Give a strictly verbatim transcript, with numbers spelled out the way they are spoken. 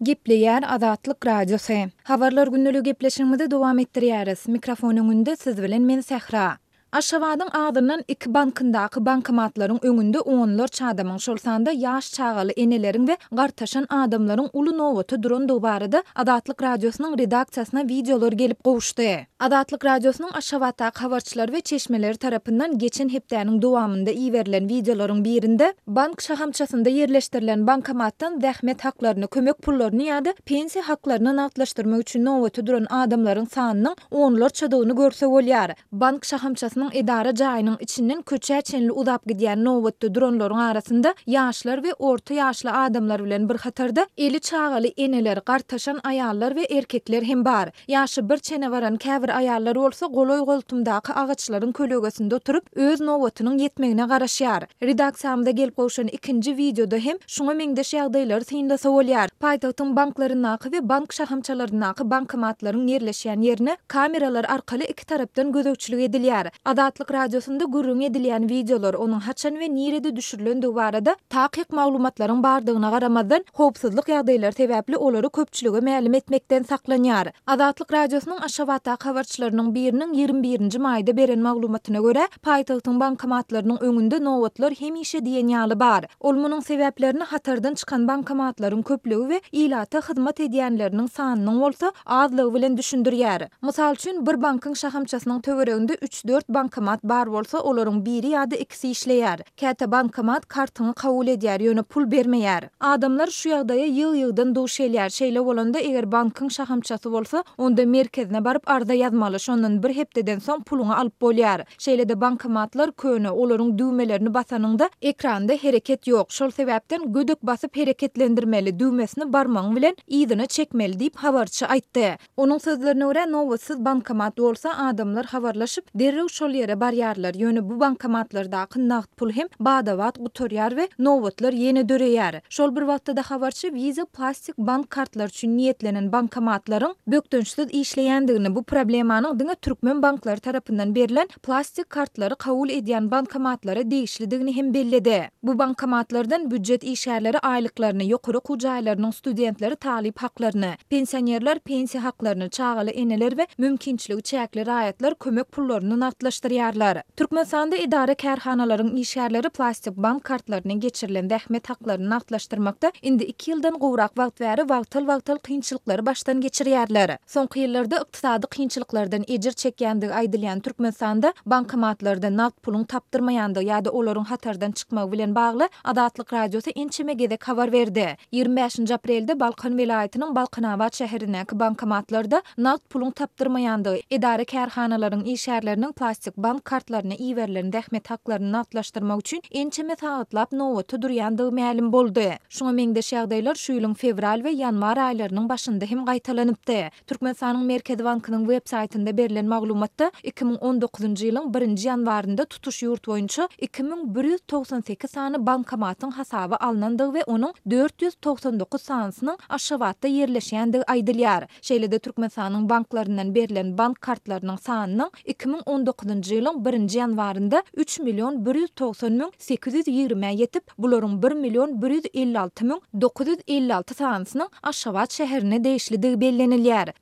Gepleýär Azatlyk Radiosy. Habarlar gündeligi gepleşigimizi dowam etdirýäris. Mikrofon öňünde siz bilen men Sähra. Aşgabadyň azyndan iki bankyndaky bankomatlaryň öňünde onlarça adamyň, şol sanda ýaş çagaly eneleriň we gartaşan adamlaryň uly nobata durandygy barada Azatlyk Radiosynyň redaksiýasyna wideolar gelip gowuşdy. Azatlyk Radiosynyň Aşgabatdaky habarçylary we çeşmeleri tarapyndan geçen hepdäniň dowamynda iberilen wideolaryň birinde bank şahamçasynda ýerleşdirilen bankomatdan zähmet haklaryny, kömek pullaryny ýa-da pensiýa haklaryny nagtlaşdyrmak üçin nobata duran adamlaryň sanynyň onlarçadygyny görse bolýar. Bank şahamçasynyň edara jaýynyň içinden köçä çenli uzap gidýän nobatda duranlaryň arasynda ýaşlar we orta ýaşly adamlar bilen bir hatarda eli çagaly eneler, gartaşan aýallar we erkekler hem bar. Ýaşy bir çene baran käbir aýallar bolsa golaý-goltumdaky agaçlaryň kölegesinde oturyp, öz nobatynyň ýetmegine garaşýar. Redaksiýamyza gelip gowşan ikinji wideoda hem şuňa meňzeş ýagdaýlary synlasa bolýar. Paýtagtyň banklaryndaky we bank şahamçalaryndaky bankomatlaryň ýerleşýän ýerine kameralar arkaly iki tarapdan gözegçilik edilýär. Azatlyk Radiosynda gürrüň edilýän wideolar, onuň haçan we nirede düşürilendigi barada takyk maglumatlaryň bardygyna garamazdan, howpsuzlyk ýagdaýlary sebäpli olary köpçülige mälim etmekden saklanýar. Azatlyk Radiosynyň Aşgabatdaky habarçylarynyň biriniň ýigrimi birinji maýda beren maglumatyna görä, paýtagtyň bankomatlarynyň öňünde nobatlar hemişe diýen ýaly bar. Ol munuň sebäplerini hatardan çykan bankomatlaryň köplügi we ilata hyzmat edýänleriniň sanynyň bolsa azlygy bilen düşündirýär. Mysal üçin, bir bankyň şahamçasynyň töwereginde üç-dört bankomat bar bolsa, olaryň biri ýa-da ikisi işleýär. Käte bankomat kartyňy kabul edýär, ýöne pul bermeýär. Adamlar şu ýagdaýa ýygy-ýygydan duş gelýär. Şeýle bolanda, eger bankyň şahamçasy bolsa, onda merkezine baryp arza ýazmaly, şondan bir hepdeden soň puluňy alyp bolýar. Şeýle-de bankomatlar köne, olaryň düwmelerini basanyňda, ekranda hereket ýok. Şol sebäpden gödek basyp hereketlendirmeli, düwmesini barmagyň bilen yzyna çekmeli diýip, habarçy aýtdy. Onuň sözlerine görä, nobatsyz bankomat bolsa, adamlar habarlaşyp, derrew şol ýere barýarlar. Ýöne bu bankomatlardaky nagt pul hem bada-bat gutarýar we nobatlar ýene döreýär. Şol bir wagtda-da habarçy Visa plastik bank kartlary üçin niýetlenen bankomatlaryň bökdençsiz işleýändigini, bu problemanyň diňe türkmen banklary tarapyndan berlen plastik kartlary kabul edýän bankomatlara degişlidigini hem belledi. Bu bankomatlardan býujet işgärleri aýlyklaryny, ýokary okuw jaýlarynyň studentleri talyp haklaryny, pensionerler pensiýa haklaryny, çagaly eneler we mümkinçiligi çäkli raýatlar kömek pullaryny nagtlaşdyrýarlar. Türkmenistanda edara-kärhanalaryň işgärleri plastik bank kartlaryna geçirilen zähmet haklaryny nagtlaşdyrmakda indi iki ýyldan gowrak wagt bäri wagtal-wagtal kynçylyklary başdan geçirýärler. Soňky ýyllarda ykdysady kynçylyklardan ejir çekýändigi aýdylýan Türkmenistanda bankomatlarda nagt puluň tapdyrmaýandygy ýa-da olaryň hatardan çykmagy bilen bagly Azatlyk Radiosy ençeme gezek habar berdi. Ýigrimi bäşinji aprelde Balkan welaýatynyň Balkanabat şäherindäki bankomatlarda nagt puluň tapdyrmaýandygy, edara-kärhanalaryň işgärleriniň plastik bank kartlaryna iberilen zähmet haklaryny nagtlaşdyrmak üçin ençeme sagatlap nobata durýandygy mälim boldy. Şuňa meňzeş ýagdaýlar şu ýylyň fewral we ýanwar aýlarynyň başynda hem gaýtalanypdy. Türkmenistanyň Merkezi bankynyň web saýtynda berlen maglumatda iki müň on dokuzynjy ýylyň birinji ýanwarynda tutuş ýurt boýunça iki müň bir ýüz togsan sekiz sany bankomatyň hasaba alnandygy we onuň dört ýüz togsan dokuz sanysynyň Aşgabatda ýerleşýändigi aýdylýar. Şeýle-de Türkmenistanyň banklaryndan berlen bank kartlarynyň sanynyň iki müň on dokuzynjy ýylyň birinji ýanwarynda üç million bir ýüz togsan müň sekiz ýüz ýigrimä ýetip, bularyň bir million bir ýüz elli alty müň dokuz ýüz elli alty sanysynyň Aşgabat şäherine degişlidigi bellenilýär.